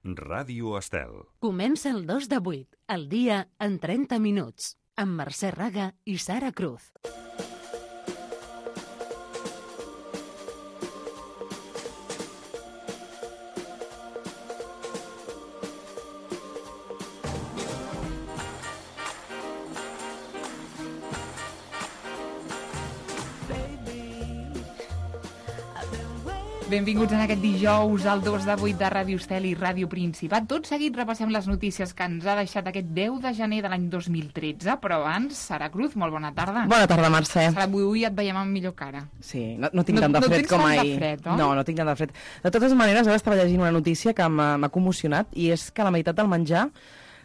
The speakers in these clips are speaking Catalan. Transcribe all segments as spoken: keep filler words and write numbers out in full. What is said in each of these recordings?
Ràdio Estel. Comença el dos de vuit, el dia en trenta minuts, amb Mercè Raga i Sara Cruz. Benvinguts en aquest dijous al dos de vuit de Ràdio Estel i Ràdio Principat. Tot seguit repassem les notícies que ens ha deixat aquest deu de gener de l'any dos mil tretze, però abans, Sara Cruz, molt bona tarda. Bona tarda, Mercè. Sara, avui et veiem amb millor cara. Sí, no, no tinc no, tant de no fred com ahir. No tens tant de fred, oi? No, no tinc tant de fred. De totes maneres, ara estava llegint una notícia que m'ha commocionat, i és que la meitat del menjar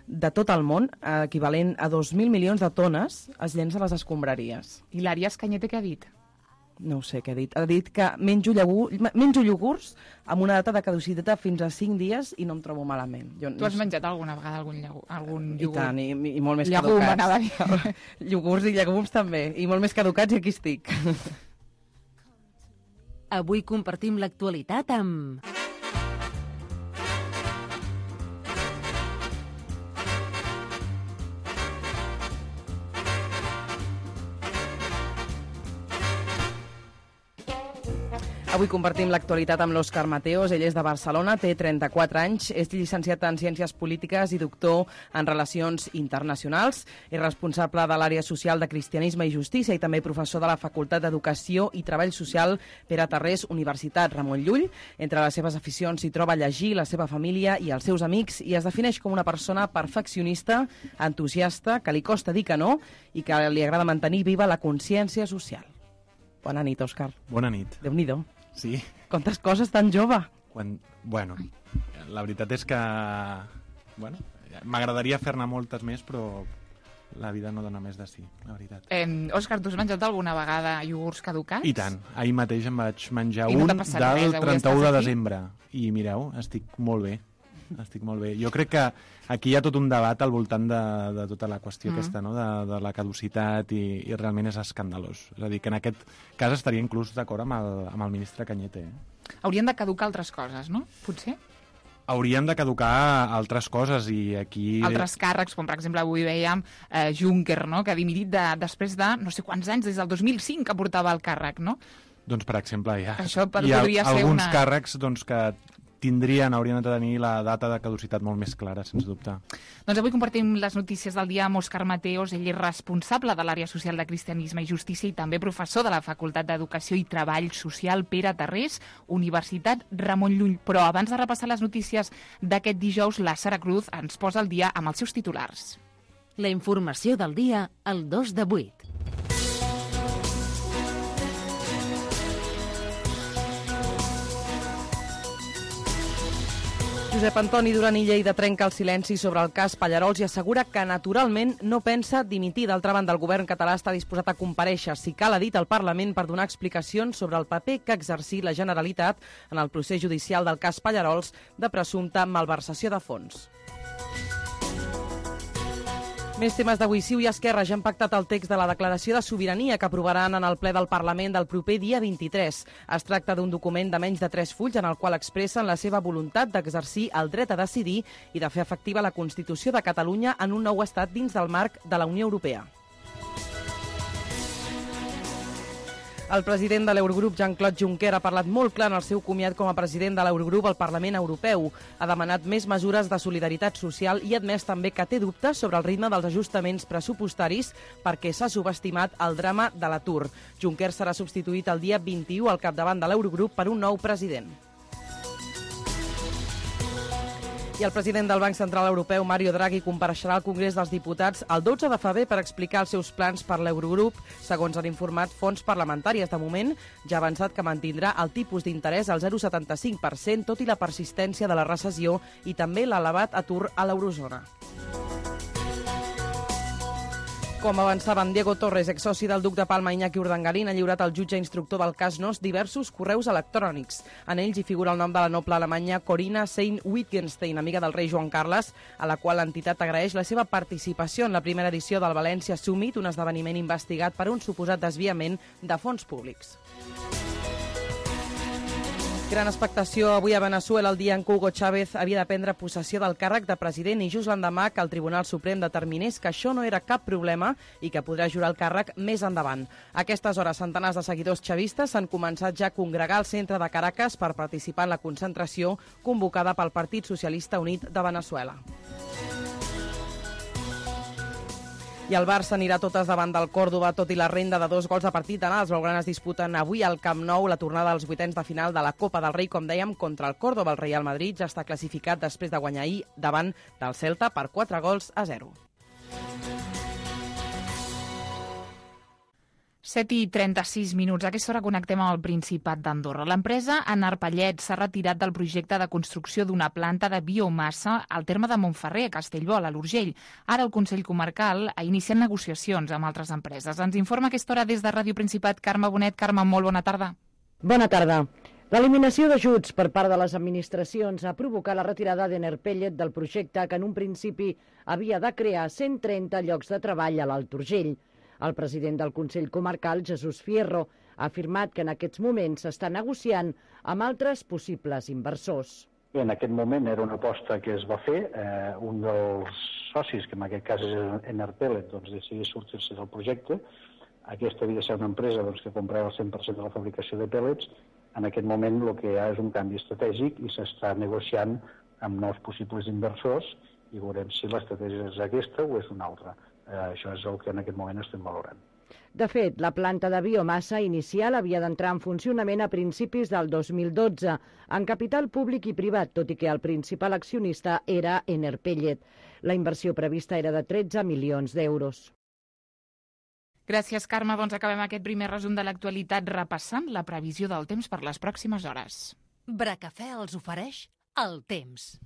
de tot el món, equivalent a dos mil milions de tones, es llença a les escombraries. I l'Àries Cañete què ha dit? No ho sé què ha dit. Ha dit que menjo, llagur, menjo iogurts amb una data de caducitat fins a cinc dies i no em trobo malament. Jo, tu has menjat alguna vegada algun, llagur, algun iogurt? I tant, i, i molt més Llagum, caducats. anava a dir. Iogurts i llegums també, i molt més caducats, i aquí estic. Avui compartim l'actualitat amb... Avui compartim l'actualitat amb l'Òscar Mateos. Ell és de Barcelona, té trenta-quatre anys, és llicenciat en Ciències Polítiques i doctor en Relacions Internacionals. És responsable de l'àrea social de Cristianisme i Justícia i també professor de la Facultat d'Educació i Treball Social Pere Tarrés, Universitat Ramon Llull. Entre les seves aficions s'hi troba llegir, la seva família i els seus amics, i es defineix com una persona perfeccionista, entusiasta, que li costa dir que no i que li agrada mantenir viva la consciència social. Bona nit, Òscar. Bona nit. Déu-n'hi-do. Sí. Quantes coses tan jove. Quan, bueno, la veritat és que bueno, m'agradaria fer-ne moltes més, però la vida no dona més de sí, la veritat. Eh, Òscar, tu has menjat alguna vegada iogurts caducats? I tant. Ahir mateix em vaig menjar no un del res, trenta-u de desembre. I mireu, estic molt bé. Estic molt bé. Jo crec que aquí hi ha tot un debat al voltant de, de tota la qüestió mm. aquesta, no? de, de la caducitat, i, i realment és escandalós. És a dir, que en aquest cas estaria inclús d'acord amb, el, amb el ministre Cañete. Eh? Haurien de caducar altres coses, no? Potser? Haurien de caducar altres coses i aquí... Altres càrrecs, com per exemple avui veiem eh, Juncker, no? Que ha dimitit de, després de no sé quants anys, des del dos mil cinc que portava el càrrec, no? Doncs, per exemple, hi ha, Això hi ha podria ser alguns una... càrrecs doncs, que tindrien, haurien de tenir la data de caducitat molt més clara, sens dubte. Doncs avui compartim les notícies del dia amb Òscar Mateos. Ell és responsable de l'àrea social de Cristianisme i Justícia i també professor de la Facultat d'Educació i Treball Social Pere Tarrés, Universitat Ramon Llull. Però abans de repassar les notícies d'aquest dijous, la Sara Cruz ens posa al dia amb els seus titulars. La informació del dia al dos de vuit. Josep Antoni Duran i Lleida trenca el silenci sobre el cas Pallarols i assegura que naturalment no pensa dimitir. D'altra banda, el govern català està disposat a comparèixer, si cal, ha dit al Parlament, per donar explicacions sobre el paper que ha exercit la Generalitat en el procés judicial del cas Pallarols de presumpta malversació de fons. Més temes d'avui. Ciu i Esquerra ja han pactat el text de la declaració de sobirania que aprovaran en el ple del Parlament del proper dia vint-i-tres. Es tracta d'un document de menys de tres fulls en el qual expressen la seva voluntat d'exercir el dret a decidir i de fer efectiva la Constitució de Catalunya en un nou estat dins del marc de la Unió Europea. El president de l'Eurogrup, Jean-Claude Juncker, ha parlat molt clar en el seu comiat com a president de l'Eurogrup al Parlament Europeu. Ha demanat més mesures de solidaritat social i ha admès també que té dubtes sobre el ritme dels ajustaments pressupostaris perquè s'ha subestimat el drama de l'atur. Juncker serà substituït el dia vint-i-u al capdavant de l'Eurogrup per un nou president. I el president del Banc Central Europeu, Mario Draghi, compareixerà al Congrés dels Diputats el dotze de febrer per explicar els seus plans per l'Eurogrup, segons han informat fonts parlamentàries. De moment, ja ha avançat que mantindrà el tipus d'interès al zero coma setanta-cinc per cent, tot i la persistència de la recessió i també l'elevat atur a l'eurozona. Com avançaven, Diego Torres, exsoci del duc de Palma Iñaki Urdangarín, ha lliurat al jutge instructor del cas Nos diversos correus electrònics. En ells hi figura el nom de la noble alemanya Corinna Sayn-Wittgenstein, amiga del rei Joan Carles, a la qual l'entitat agraeix la seva participació en la primera edició del València Summit, un esdeveniment investigat per un suposat desviament de fons públics. Gran expectació avui a Veneçuela, el dia en què Hugo Chávez havia de prendre possessió del càrrec de president i just l'endemà que el Tribunal Suprem determinés que això no era cap problema i que podrà jurar el càrrec més endavant. A aquestes hores, centenars de seguidors chavistes s'han començat ja a congregar al centre de Caracas per participar en la concentració convocada pel Partit Socialista Unit de Veneçuela. I el Barça anirà totes davant del Còrdova, tot i la renda de dos gols a partit d'anar. Els blaugranes disputen avui al Camp Nou la tornada als vuitens de final de la Copa del Rei, com dèiem, contra el Còrdova. El Real Madrid ja està classificat després de guanyar ahir davant del Celta per quatre gols a zero. set i trenta-sis minuts. A aquesta hora connectem amb el Principat d'Andorra. L'empresa Enarpellet s'ha retirat del projecte de construcció d'una planta de biomassa al terme de Montferrer, a Castellbò, a l'Urgell. Ara el Consell Comarcal ha iniciat negociacions amb altres empreses. Ens informa a aquesta hora des de Ràdio Principat Carme Bonet. Carme, molt bona tarda. Bona tarda. L'eliminació d'ajuts per part de les administracions ha provocat la retirada d'Enarpellet del projecte que en un principi havia de crear cent trenta llocs de treball a l'Alt Urgell. El president del Consell Comarcal, Jesús Fierro, ha afirmat que en aquests moments s'està negociant amb altres possibles inversors. En aquest moment era una aposta que es va fer. Eh, un dels socis, que en aquest cas és Enarpellet, doncs decidí sortir-se del projecte. Aquesta havia de ser una empresa doncs, que comprava el cent per cent de la fabricació de pèl·lets. En aquest moment el que hi ha és un canvi estratègic i s'està negociant amb nous possibles inversors i veurem si l'estratègia és aquesta o és una altra. Eh, això és el que en aquest moment estem valorant. De fet, la planta de biomassa inicial havia d'entrar en funcionament a principis del dos mil dotze, en capital públic i privat, tot i que el principal accionista era Enarpellet. La inversió prevista era de tretze milions d'euros. Gràcies, Carme. Doncs acabem aquest primer resum de l'actualitat repassant la previsió del temps per les pròximes hores. Bracafè els ofereix el temps.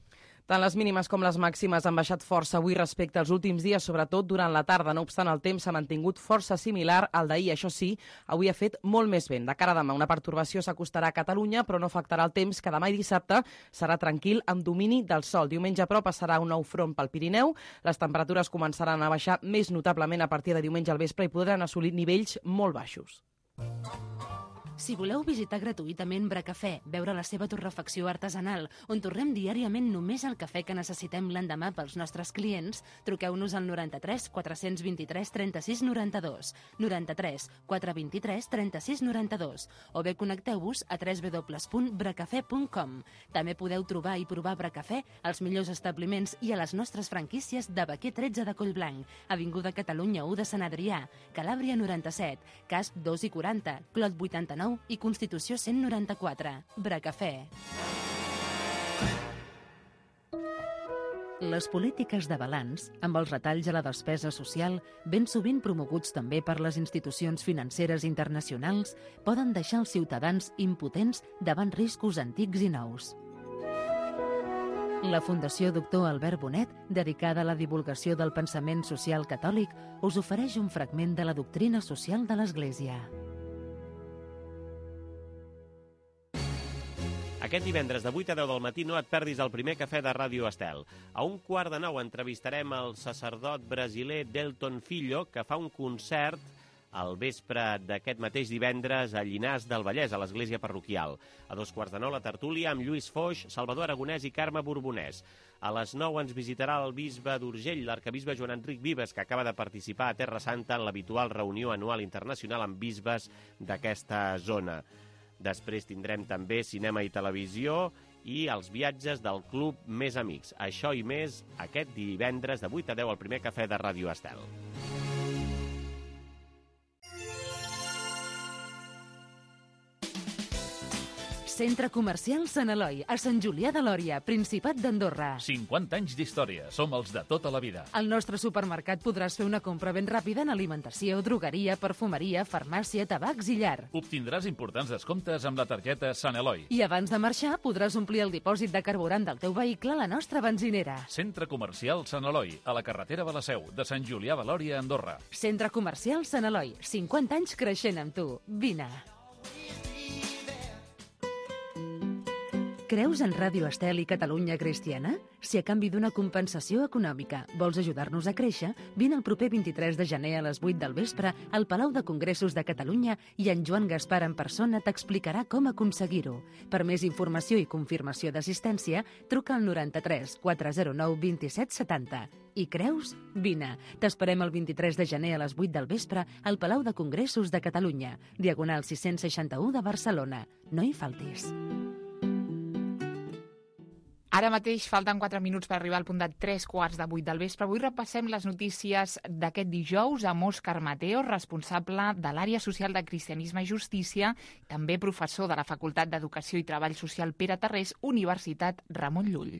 Tant les mínimes com les màximes han baixat força avui respecte als últims dies, sobretot durant la tarda. No obstant, el temps s'ha mantingut força similar al d'ahir. Això sí, avui ha fet molt més vent. De cara a demà, una pertorbació s'acostarà a Catalunya, però no afectarà el temps, que demà i dissabte serà tranquil amb domini del sol. Diumenge, però, passarà un nou front pel Pirineu. Les temperatures començaran a baixar més notablement a partir de diumenge al vespre i podran assolir nivells molt baixos. Si voleu visitar gratuïtament Bracafè, veure la seva torrefacció artesanal, on torrem diàriament només el cafè que necessitem l'endemà pels nostres clients, truqueu-nos al noranta-tres quatre-cents vint-i-tres trenta-sis noranta-dos, noranta-tres quatre vint-i-tres trenta-sis noranta-dos, o bé connecteu-vos a w w w punt bracafè punt com. També podeu trobar i provar Bracafè als millors establiments i a les nostres franquícies de Baquer tretze de Collblanc, Avinguda Catalunya u de Sant Adrià, Calàbria noranta-set, Casp dos i quaranta, Clot vuitanta-nou i Constitució cent noranta-quatre. Bracafè. Les polítiques de balanç, amb els retalls a la despesa social, ben sovint promoguts també per les institucions financeres internacionals, poden deixar els ciutadans impotents davant riscos antics i nous. La Fundació Doctor Albert Bonet, dedicada a la divulgació del pensament social catòlic, us ofereix un fragment de la doctrina social de l'Església. Aquest divendres de vuit a deu del matí no et perdis el primer cafè de Ràdio Estel. A un quart de nou entrevistarem el sacerdot brasiler Delton Filho, que fa un concert al vespre d'aquest mateix divendres a Llinars del Vallès, a l'església parroquial. A dos quarts de nou la tertúlia amb Lluís Foix, Salvador Aragonès i Carme Borbonès. A les nou ens visitarà el bisbe d'Urgell, l'arcabisbe Joan Enric Vives, que acaba de participar a Terra Santa en l'habitual reunió anual internacional amb bisbes d'aquesta zona. Després tindrem també cinema i televisió i els viatges del Club Més Amics. Això i més aquest divendres de vuit a deu al primer cafè de Ràdio Estel. Centre Comercial Sant Eloi, a Sant Julià de Lòria, Principat d'Andorra. cinquanta anys d'història. Som els de tota la vida. Al nostre supermercat podràs fer una compra ben ràpida en alimentació, drogueria, perfumeria, farmàcia, tabacs i llar. Obtindràs importants descomptes amb la targeta Sant Eloi. I abans de marxar podràs omplir el dipòsit de carburant del teu vehicle a la nostra benzinera. Centre Comercial Sant Eloi, a la carretera de la Seu, de Sant Julià de Lòria, Andorra. Centre Comercial Sant Eloi, cinquanta anys creixent amb tu. Vine. Creus en Ràdio Estel i Catalunya Cristiana? Si a canvi d'una compensació econòmica vols ajudar-nos a créixer, vine el proper vint-i-tres de gener a les vuit del vespre al Palau de Congressos de Catalunya i en Joan Gaspar en persona t'explicarà com aconseguir-ho. Per més informació i confirmació d'assistència, truca al noranta-tres quatre zero nou vint-i-set setanta. I creus? Vine. T'esperem el vint-i-tres de gener a les vuit del vespre al Palau de Congressos de Catalunya, diagonal sis-cents seixanta-u de Barcelona. No hi faltis. Ara mateix falten quatre minuts per arribar al punt de tres quarts de vuit del vespre. Avui repassem les notícies d'aquest dijous amb Òscar Mateo, responsable de l'àrea social de Cristianisme i Justícia, també professor de la Facultat d'Educació i Treball Social Pere Tarrés, Universitat Ramon Llull.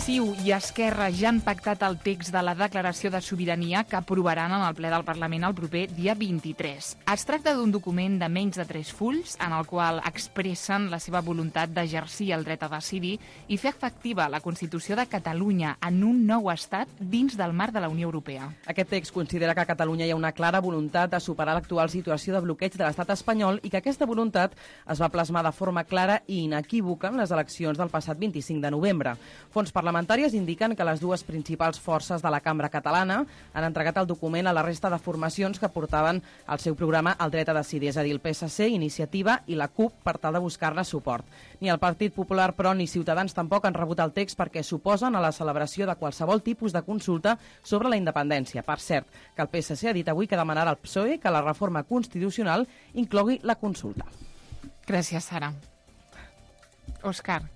C I U i Esquerra ja han pactat el text de la declaració de sobirania que aprovaran en el ple del Parlament el proper dia vint-i-tres. Es tracta d'un document de menys de tres fulls en el qual expressen la seva voluntat d'exercir el dret a decidir i fer efectiva la Constitució de Catalunya en un nou estat dins del marc de la Unió Europea. Aquest text considera que a Catalunya hi ha una clara voluntat de superar l'actual situació de bloqueig de l'estat espanyol i que aquesta voluntat es va plasmar de forma clara i inequívoca en les eleccions del passat vint-i-cinc de novembre. Fons parlamentàries indiquen que les dues principals forces de la cambra catalana han entregat el document a la resta de formacions que portaven al seu programa el dret a decidir, és a dir, el P S C, Iniciativa i la CUP, per tal de buscar-ne suport. Ni el Partit Popular, però, ni Ciutadans tampoc han rebut el text perquè s'oposen a la celebració de qualsevol tipus de consulta sobre la independència. Per cert, que el P S C ha dit avui que demanarà al P S O E que la reforma constitucional inclogui la consulta. Gràcies, Sara. Òscar.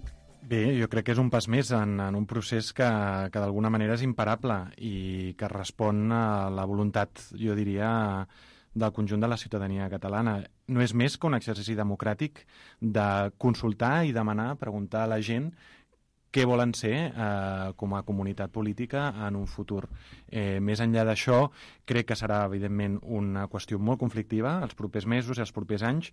Bé, jo crec que és un pas més en, en un procés que, que d'alguna manera és imparable i que respon a la voluntat, jo diria, del conjunt de la ciutadania catalana. No és més que un exercici democràtic de consultar i demanar, preguntar a la gent què volen ser eh, com a comunitat política en un futur. Eh, més enllà d'això, crec que serà, evidentment, una qüestió molt conflictiva els propers mesos i els propers anys,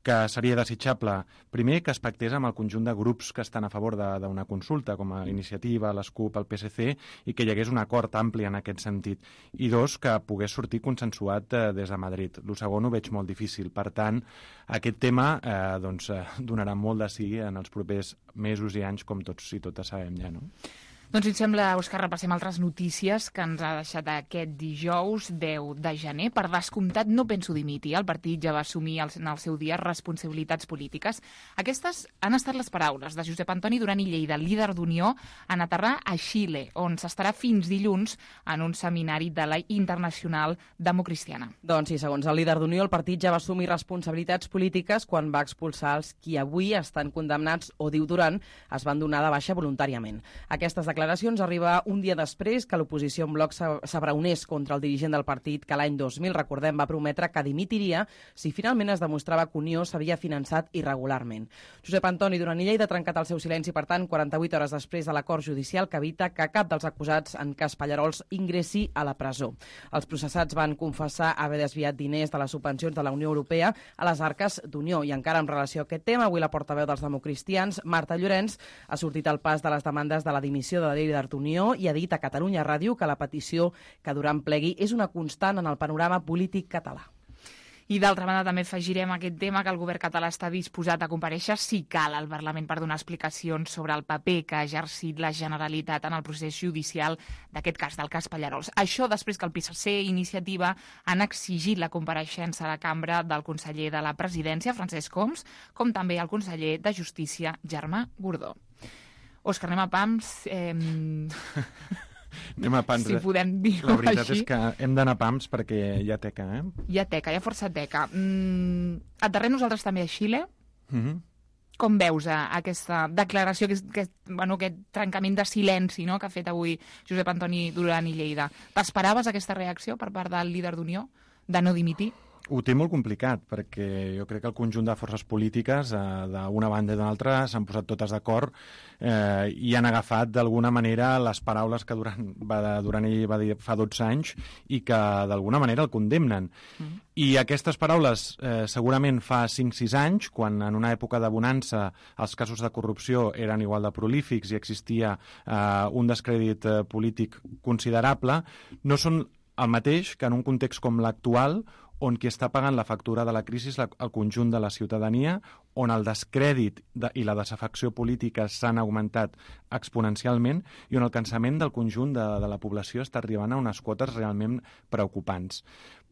que seria desitjable, primer, que es pactés amb el conjunt de grups que estan a favor d'una consulta, com a Iniciativa, les CUP, el P S C, i que hi hagués un acord ampli en aquest sentit. I dos, que pogués sortir consensuat eh, des de Madrid. El segon ho veig molt difícil. Per tant, aquest tema eh, doncs, eh, donarà molt de sí en els propers mesos i anys, com tots i totes sabem ja, no? Doncs, si et sembla, Òscar, repassem altres notícies que ens ha deixat aquest dijous deu de gener. Per descomptat, no penso dimitir. El partit ja va assumir en el seu dia responsabilitats polítiques. Aquestes han estat les paraules de Josep Antoni Duran i Lleida, líder d'Unió, en aterrar a Xile, on s'estarà fins dilluns en un seminari de la Internacional Democristiana. Doncs sí, segons el líder d'Unió, el partit ja va assumir responsabilitats polítiques quan va expulsar els qui avui estan condemnats o, diu Duran, es van donar de baixa voluntàriament. Aquestes declaracions declaracions arriba un dia després que l'oposició en bloc s'abraonés contra el dirigent del partit que l'any dos mil, recordem, va prometre que dimitiria si finalment es demostrava que Unió s'havia finançat irregularment. Josep Antoni Duran i Lleida ha trencat el seu silenci, per tant, quaranta-vuit hores després de l'acord judicial que evita que cap dels acusats en cas Pallarols ingressi a la presó. Els processats van confessar haver desviat diners de les subvencions de la Unió Europea a les arques d'Unió. I encara en relació a aquest tema, avui la portaveu dels democristians, Marta Llorenç, ha sortit al pas de les demandes de la dimissió de la líder d'Unió i ha dit a Catalunya Ràdio que la petició que Duran plegui és una constant en el panorama polític català. I d'altra banda també afegirem aquest tema que el govern català està disposat a comparèixer si cal al Parlament per donar explicacions sobre el paper que ha exercit la Generalitat en el procés judicial d'aquest cas, del cas Pallarols. Això després que el P S C i Iniciativa han exigit la compareixença a la cambra del conseller de la Presidència, Francesc Homs, com també el conseller de Justícia, Germà Gordó. Òscar, anem a pams. Eh... anem a pams. Si podem dir-ho així. La veritat així. És que hem d'anar a pams perquè hi ha teca, eh? Hi ha teca, hi ha força teca. Mm, aterrem nosaltres també a Xile. Mm-hmm. Com veus eh, aquesta declaració, aquest, aquest, bueno, aquest trencament de silenci, no?, que ha fet avui Josep Antoni Duran i Lleida? T'esperaves aquesta reacció per part del líder d'Unió, de no dimitir? Ho té molt complicat, perquè jo crec que el conjunt de forces polítiques, eh, d'una banda i d'una altra, s'han posat totes d'acord eh, i han agafat d'alguna manera les paraules que Duran va, Duran ell va dir fa dotze anys i que d'alguna manera el condemnen. Mm. I aquestes paraules eh, segurament fa cinc sis anys, quan en una època de bonança els casos de corrupció eren igual de prolífics i existia eh, un descrèdit eh, polític considerable, no són el mateix que en un context com l'actual, on qui està pagant la factura de la crisi és el conjunt de la ciutadania, on el descrèdit de, i la desafecció política s'han augmentat exponencialment i on el cansament del conjunt de, de la població està arribant a unes quotes realment preocupants.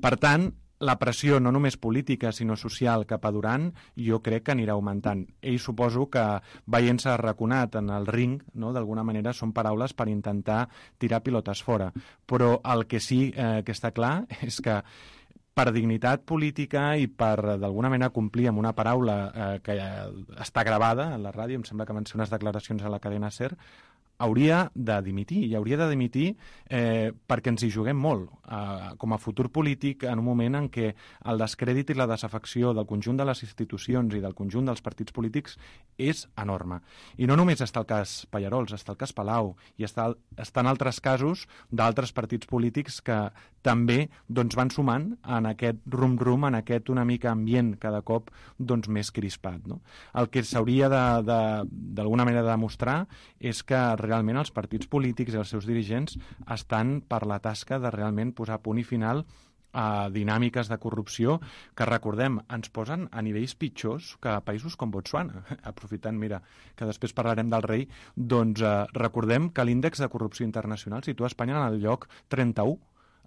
Per tant, la pressió no només política sinó social cap a Duran jo crec que anirà augmentant. Ell suposo que veient-se arraconat en el ring, no, d'alguna manera són paraules per intentar tirar pilotes fora. Però el que sí eh, que està clar és que per dignitat política i per d'alguna manera complir amb una paraula eh, que està gravada a la ràdio, em sembla que van ser unes declaracions a la cadena SER, hauria de dimitir, i hauria de dimitir eh, perquè ens hi juguem molt eh, com a futur polític en un moment en què el descrèdit i la desafecció del conjunt de les institucions i del conjunt dels partits polítics és enorme. I no només està el cas Pallarols, està el cas Palau, i està, estan altres casos d'altres partits polítics que també doncs, van sumant en aquest rum-rum, en aquest una mica ambient cada cop doncs, més crispat. No? El que s'hauria d'alguna manera de demostrar és que realment els partits polítics i els seus dirigents estan per la tasca de realment posar punt i final a dinàmiques de corrupció que, recordem, ens posen a nivells pitjors que a països com Botswana. Aprofitant, mira, que després parlarem del rei, doncs eh, recordem que l'índex de corrupció internacional situa Espanya en el lloc trenta-u,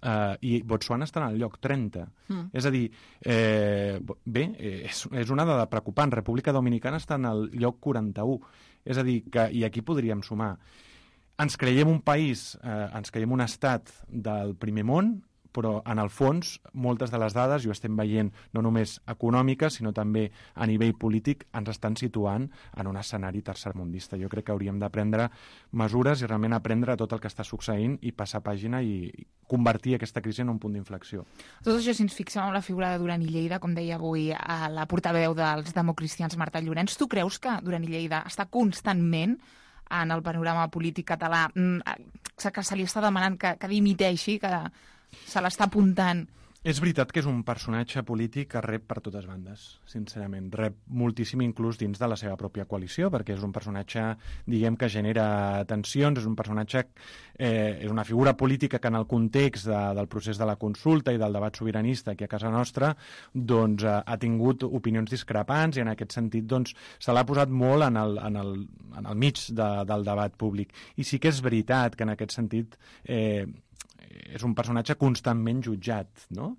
Uh, i Botswana està en el lloc trenta. Mm. És a dir, eh, bé, és, és una dada preocupant. República Dominicana està en el lloc quaranta-u. És a dir, que, i aquí podríem sumar. Ens creiem un país, eh, ens creiem un estat del primer món, però en el fons moltes de les dades, i ho estem veient no només econòmiques, sinó també a nivell polític, ens estan situant en un escenari tercermundista. Jo crec que hauríem de prendre mesures i realment aprendre tot el que està succeint i passar pàgina i convertir aquesta crisi en un punt d'inflexió. Tot això, si ens fixem en la figura de Duran i Lleida, com deia avui a la portaveu dels democristians Marta Llorenç, tu creus que Duran i Lleida està constantment en el panorama polític català, que se li està demanant que, que dimiteixi, que se l'està apuntant? És veritat que és un personatge polític que rep per totes bandes, sincerament. Rep moltíssim inclús dins de la seva pròpia coalició, perquè és un personatge, diguem, que genera tensions, és un personatge, eh, és una figura política que en el context de, del procés de la consulta i del debat sobiranista aquí a casa nostra, doncs eh, ha tingut opinions discrepants i en aquest sentit doncs se l'ha posat molt en el, en el, en el mig de, del debat públic. I sí que és veritat que en aquest sentit eh, és un personatge constantment jutjat, no?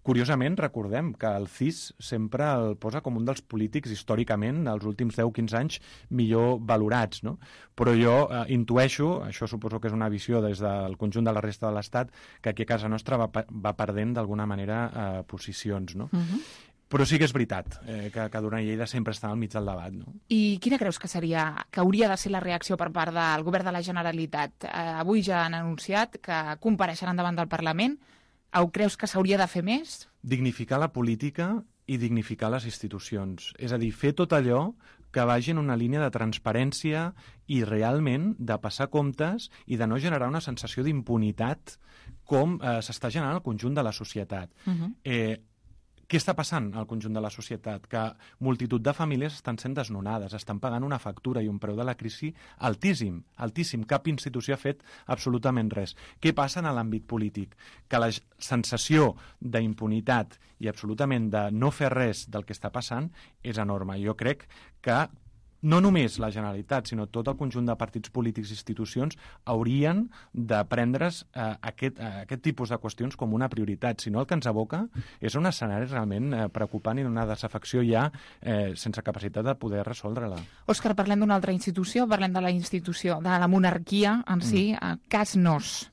Curiosament, recordem que el C I S sempre el posa com un dels polítics històricament, els últims deu a quinze anys, millor valorats, no? Però jo eh, intueixo, això suposo que és una visió des del conjunt de la resta de l'Estat, que aquí a casa nostra va, va perdent d'alguna manera eh, posicions, no? Uh-huh. Però sí que és veritat eh, que, que Duran i Lleida sempre està al mig del debat, no? I quina creus que seria, que hauria de ser la reacció per part del govern de la Generalitat? Eh, avui ja han anunciat que compareixeran davant del Parlament. Ho creus que s'hauria de fer més? Dignificar la política i dignificar les institucions. És a dir, fer tot allò que vagi en una línia de transparència i realment de passar comptes i de no generar una sensació d'impunitat com eh, s'està generant al conjunt de la societat. Uh-huh. Eh, Què està passant al conjunt de la societat? Que multitud de famílies estan sent desnonades, estan pagant una factura i un preu de la crisi altíssim, altíssim. Cap institució ha fet absolutament res. Què passa en l'àmbit polític? Que la sensació d'impunitat i absolutament de no fer res del que està passant és enorme. Jo crec que no només la Generalitat, sinó tot el conjunt de partits polítics i institucions haurien de prendre's eh, aquest, eh, aquest tipus de qüestions com una prioritat. Si no, el que ens aboca és un escenari realment eh, preocupant i una desafecció ja eh, sense capacitat de poder resoldre-la. Òscar, parlem d'una altra institució, parlem de la institució de la monarquia en si, mm. Cas Nos.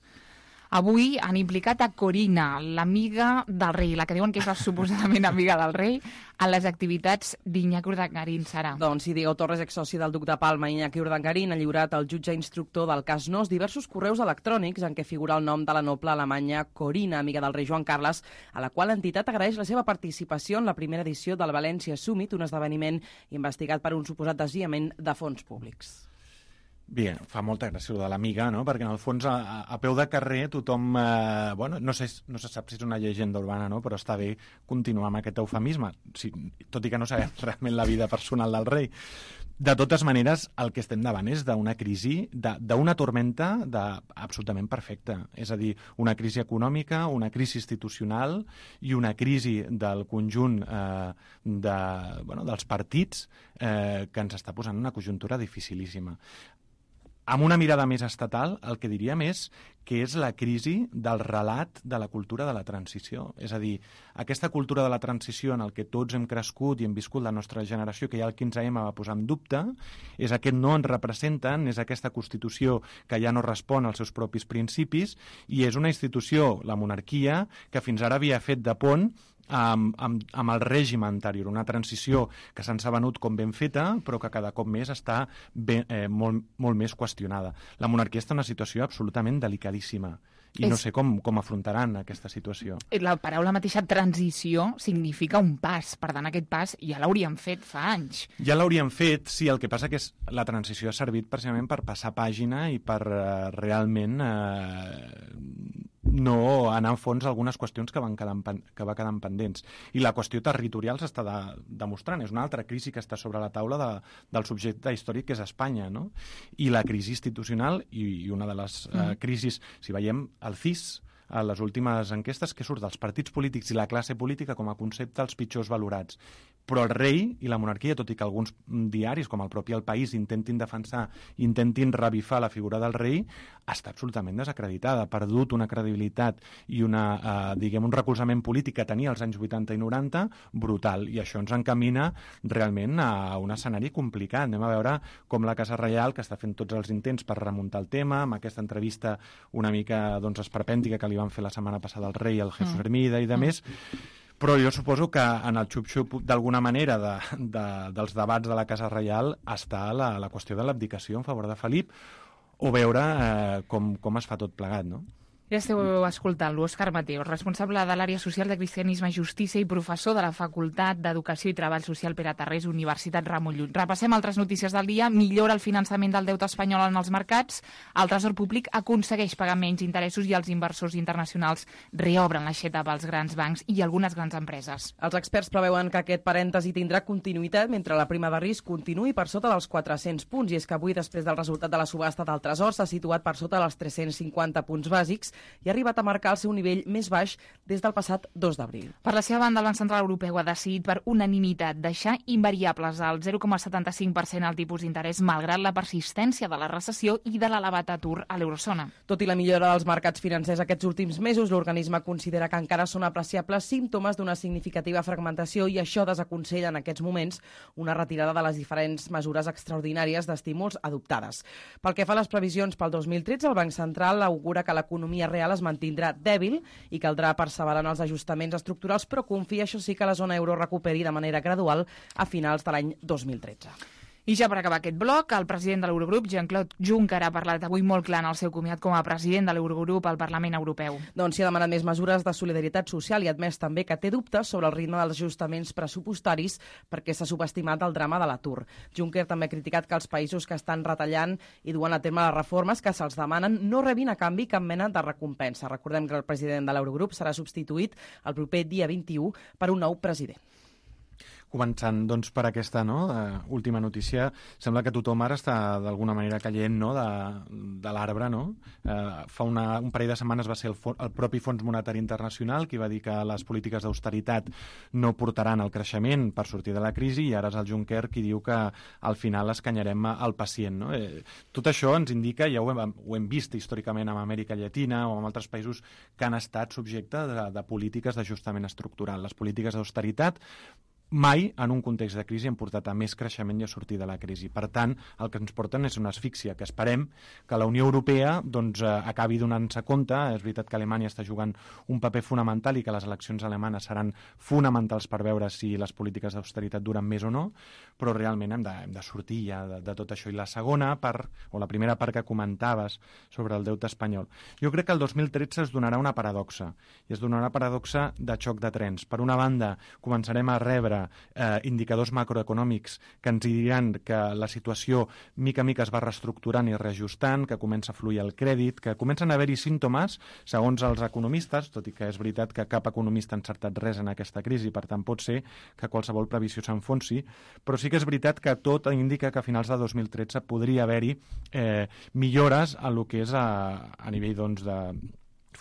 Avui han implicat a Corina, l'amiga del rei, la que diuen que és la suposadament amiga del rei, a les activitats d'Iñaki Urdangarín, Sara. Doncs si Diego Torres, exsoci del duc de Palma, Iñaki Urdangarín, ha lliurat al jutge instructor del cas Nos diversos correus electrònics en què figura el nom de la noble alemanya Corina, amiga del rei Joan Carles, a la qual l'entitat agraeix la seva participació en la primera edició del València Summit, un esdeveniment investigat per un suposat desviament de fons públics. Bé, fa molta gràcia de l'amiga, no? Perquè en el fons a, a peu de carrer tothom, eh, bueno, no sé, no se sap si és una llegenda urbana, no? Però està bé continuar amb aquest eufemisme, si, tot i que no sabem realment la vida personal del rei. De totes maneres, el que estem davant és d'una crisi, d'una tormenta de, absolutament perfecta. És a dir, una crisi econòmica, una crisi institucional i una crisi del conjunt eh, de, bueno, dels partits eh, que ens està posant una conjuntura dificilíssima. Amb una mirada més estatal, el que diríem és que és la crisi del relat de la cultura de la transició. És a dir, aquesta cultura de la transició en el que tots hem crescut i hem viscut la nostra generació, que ja el quinze ema va posar en dubte, és aquest no ens representen, és aquesta Constitució que ja no respon als seus propis principis, i és una institució, la monarquia, que fins ara havia fet de pont Amb, amb, amb el règim anterior, una transició que se'ns ha venut com ben feta, però que cada cop més està ben, eh, molt, molt més qüestionada. La monarquia està en una situació absolutament delicadíssima i és... no sé com, com afrontaran aquesta situació. La paraula mateixa transició significa un pas, per tant aquest pas ja l'hauríem fet fa anys. Ja l'hauríem fet, sí, el que passa que és, la transició ha servit precisament per passar pàgina i per eh, realment eh, no anar a fons algunes qüestions que van quedar, que va quedant pendents. I la qüestió territorial s'està de, demostrant. És una altra crisi que està sobre la taula de, del subjecte històric que és Espanya, no? I la crisi institucional i, i una de les mm. eh, crisis, si veiem el C I S, a les últimes enquestes, que surt dels partits polítics i la classe política com a concepte els pitjors valorats. Però el rei i la monarquia, tot i que alguns diaris, com el propi El País, intentin defensar, intentin revifar la figura del rei, està absolutament desacreditada, ha perdut una credibilitat i una, eh, diguem, un recolzament polític que tenia als anys vuitanta i noranta brutal, i això ens encamina realment a un escenari complicat. Anem a veure com la Casa Reial, que està fent tots els intents per remuntar el tema, amb aquesta entrevista una mica doncs, esperpèntica que li van fer la setmana passada al rei, el Jesús Hermida i de més, però jo suposo que en el xup-xup d'alguna manera de, de, dels debats de la Casa Reial està la, la qüestió de l'abdicació en favor de Felip, o veure eh, com, com es fa tot plegat, no? Ja esteu escoltant-lo, Òscar Mateos, responsable de l'àrea social de Cristianisme i Justícia i professor de la Facultat d'Educació i Treball Social Pere Tarrés, Universitat Ramon Llull. Repassem altres notícies del dia. Millora el finançament del deute espanyol en els mercats, el Tresor Públic aconsegueix pagar menys interessos i els inversors internacionals reobren l'aixeta pels grans bancs i algunes grans empreses. Els experts preveuen que aquest parèntesi tindrà continuïtat mentre la prima de risc continuï per sota dels quatre-cents punts, i és que avui, després del resultat de la subhasta del Tresor, s'ha situat per sota dels tres-cents cinquanta punts bàsics i ha arribat a marcar el seu nivell més baix des del passat dos d'abril. Per la seva banda, el Banc Central Europeu ha decidit per unanimitat deixar invariables al zero coma setanta cinc per cent el tipus d'interès, malgrat la persistència de la recessió i de l'elevat atur a l'eurozona. Tot i la millora dels mercats financers aquests últims mesos, l'organisme considera que encara són apreciables símptomes d'una significativa fragmentació, i això desaconsella en aquests moments una retirada de les diferents mesures extraordinàries d'estímuls adoptades. Pel que fa a les previsions pel dos mil tretze, el Banc Central augura que l'economia real es mantindrà dèbil i caldrà perseverar en els ajustaments estructurals, però confia, això sí, que la zona euro recuperi de manera gradual a finals de l'any dos mil tretze. I ja per acabar aquest bloc, el president de l'Eurogrup, Jean-Claude Juncker, ha parlat avui molt clar en el seu comiat com a president de l'Eurogrup al Parlament Europeu. Doncs s'hi ha demanat més mesures de solidaritat social i ha admès també que té dubtes sobre el ritme dels ajustaments pressupostaris perquè s'ha subestimat el drama de l'atur. Juncker també ha criticat que els països que estan retallant i duen a terme les reformes que se'ls demanen no rebin a canvi cap mena de recompensa. Recordem que el president de l'Eurogrup serà substituït el proper dia vint-i-u per un nou president. Començant doncs, per aquesta no, uh, última notícia, sembla que tothom ara està d'alguna manera caient no, de, de l'arbre. No? Uh, fa una, un parell de setmanes va ser el, el propi Fons Monetari Internacional qui va dir que les polítiques d'austeritat no portaran al creixement per sortir de la crisi, i ara és el Juncker qui diu que al final escanyarem al pacient. No? Eh, tot això ens indica, ja ho hem, ho hem vist històricament amb Amèrica Llatina o amb altres països que han estat subjectes de, de polítiques d'ajustament estructural. Les polítiques d'austeritat mai en un context de crisi han portat a més creixement i a sortir de la crisi. Per tant, el que ens porten és una asfíxia, que esperem que la Unió Europea doncs, acabi donant-se compte. És veritat que Alemanya està jugant un paper fonamental i que les eleccions alemanes seran fonamentals per veure si les polítiques d'austeritat duren més o no, però realment hem de, hem de sortir ja de, de tot això. I la segona part, o la primera part que comentaves sobre el deute espanyol, jo crec que el dos mil tretze es donarà una paradoxa, i es donarà una paradoxa de xoc de trens. Per una banda, començarem a rebre eh, indicadors macroeconòmics que ens diran que la situació mica a mica es va reestructurant i reajustant, que comença a fluir el crèdit, que comencen a haver-hi símptomes, segons els economistes, tot i que és veritat que cap economista ha encertat res en aquesta crisi, per tant pot ser que qualsevol previsió s'enfonsi, però sí que és veritat que tot indica que a finals de dos mil tretze podria haver-hi eh, millores a lo que és a, a nivell doncs, de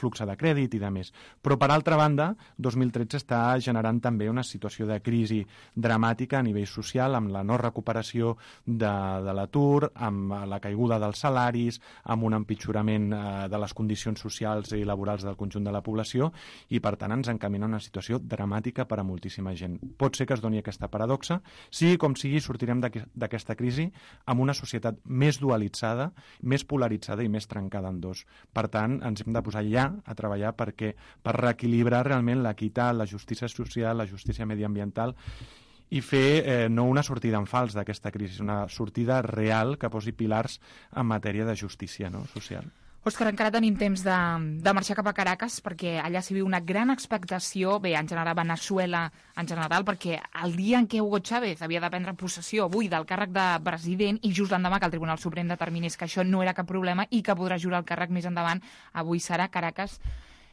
flux de crèdit i de més. Però, per altra banda, dos mil tretze està generant també una situació de crisi dramàtica a nivell social, amb la no recuperació de, de l'atur, amb la caiguda dels salaris, amb un empitjorament eh, de les condicions socials i laborals del conjunt de la població, i, per tant, ens encamina una situació dramàtica per a moltíssima gent. Pot ser que es doni aquesta paradoxa. Sigui com sigui, sortirem d'aquesta crisi amb una societat més dualitzada, més polaritzada i més trencada en dos. Per tant, ens hem de posar ja a treballar perquè per reequilibrar realment l'equitat, la justícia social, la justícia mediambiental i fer eh, no una sortida en fals d'aquesta crisi, una sortida real que posi pilars en matèria de justícia, no?, social. Òscar, encara tenim temps de, de marxar cap a Caracas perquè allà s'hi viu una gran expectació, bé, en general a Veneçuela en general, perquè el dia en què Hugo Chávez havia de prendre possessió avui del càrrec de president i just l'endemà que el Tribunal Suprem determinés que això no era cap problema i que podrà jurar el càrrec més endavant, avui serà Caracas.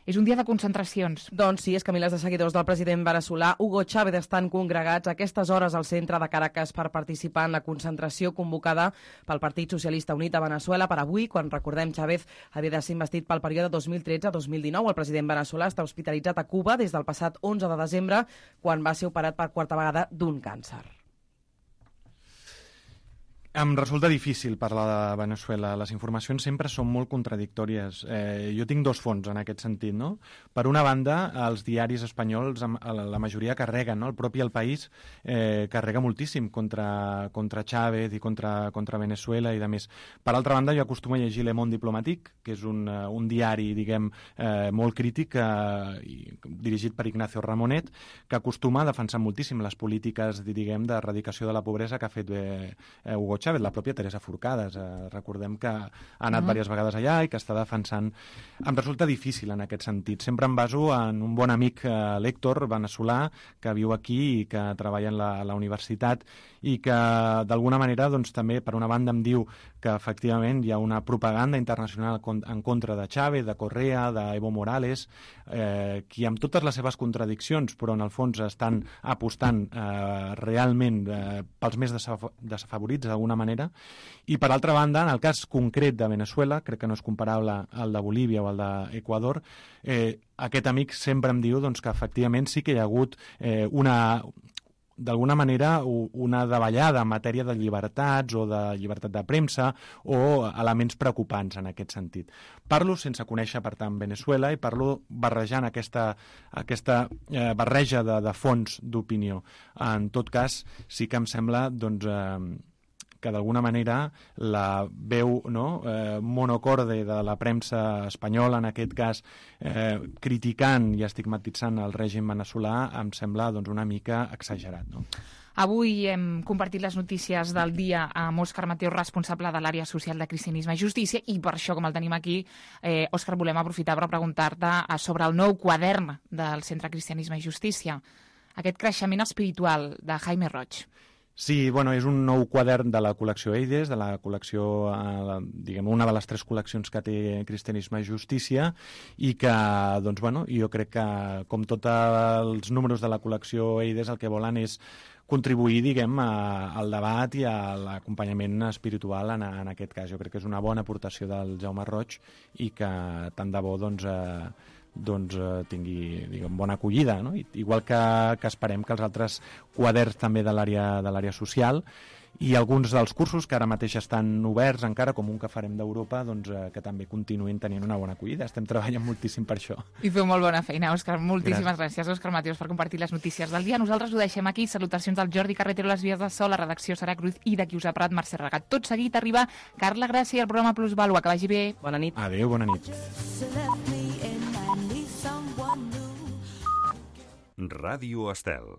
És un dia de concentracions. Doncs sí, és que milers de seguidors del president veneçolà Hugo Chávez estan congregats a aquestes hores al centre de Caracas per participar en la concentració convocada pel Partit Socialista Unit a Veneçuela per avui, quan, recordem, Chávez havia de ser investit pel període dos mil tretze a dos mil dinou. El president veneçolà està hospitalitzat a Cuba des del passat onze de desembre, quan va ser operat per quarta vegada d'un càncer. Em resulta difícil parlar de Veneçuela. Les informacions sempre són molt contradictòries. Eh, jo tinc dos fons en aquest sentit, no? Per una banda, els diaris espanyols, la majoria carreguen, no? El propi El País eh, carrega moltíssim contra, contra Chávez i contra, contra Veneçuela i de més. Per altra banda, jo acostumo a llegir Le Monde Diplomatique, que és un, un diari, diguem, eh, molt crític, eh, dirigit per Ignacio Ramonet, que acostuma a defensar moltíssim les polítiques, diguem, d'erradicació de la pobresa que ha fet eh, Hugo Chávez. La pròpia Teresa Forcades, eh, recordem que ha anat uh-huh. diverses vegades allà i que està defensant. Em resulta difícil en aquest sentit. Sempre em baso en un bon amic eh, l'Héctor, veneçolà, que viu aquí i que treballa en la, a la universitat i que d'alguna manera doncs, també per una banda em diu que efectivament hi ha una propaganda internacional en contra de Chávez, de Correa, d'Evo Morales, eh, qui amb totes les seves contradiccions, però en el fons estan apostant eh, realment eh, pels més desafavorits d'alguna manera. I per altra banda, en el cas concret de Veneçuela, crec que no és comparable al de Bolívia o al d'Equador, eh, aquest amic sempre em diu doncs, que efectivament sí que hi ha hagut eh, una... d'alguna manera una davallada en matèria de llibertats o de llibertat de premsa o elements preocupants en aquest sentit. Parlo sense conèixer, per tant, Veneçuela i parlo barrejant aquesta, aquesta eh, barreja de, de fons d'opinió. En tot cas, sí que em sembla doncs, eh, que d'alguna manera la veu no, eh, monocorde de la premsa espanyola, en aquest cas eh, criticant i estigmatitzant el règim veneçolà, em sembla doncs, una mica exagerat. No? Avui hem compartit les notícies del dia amb Òscar Mateos, responsable de l'àrea social de Cristianisme i Justícia, i per això, com el tenim aquí, eh, Òscar, volem aprofitar per preguntar-te sobre el nou quadern del Centre Cristianisme i Justícia, aquest creixement espiritual de Jaime Roig. Sí, bueno, és un nou quadern de la col·lecció Eides, de la col·lecció, eh, diguem, una de les tres col·leccions que té Cristianisme i Justícia, i que, doncs, bueno, jo crec que, com tots els números de la col·lecció Eides, el que volen és contribuir, diguem, a, al debat i a l'acompanyament espiritual en, en aquest cas. Jo crec que és una bona aportació del Jaume Roig i que tant de bo, doncs, eh, doncs eh, tingui, diguem, bona acollida, no? Igual que, que esperem que els altres quaderns també de l'àrea de l'àrea social i alguns dels cursos que ara mateix estan oberts encara, com un que farem d'Europa, doncs eh, que també continuïn tenint una bona acollida. Estem treballant moltíssim per això. I feu molt bona feina, Òscar. Moltíssimes gràcies, gràcies Òscar Mateos, per compartir les notícies del dia. Nosaltres ho deixem aquí. Salutacions del Jordi Carretero, les vies de so, la redacció Sara Cruz i de qui us ha parlat, Mercè Regat. Tot seguit arriba Carla Gràcia i el programa Plus Vàlua. Que vagi bé. Bona nit. Adéu, bona nit. Ràdio Estel.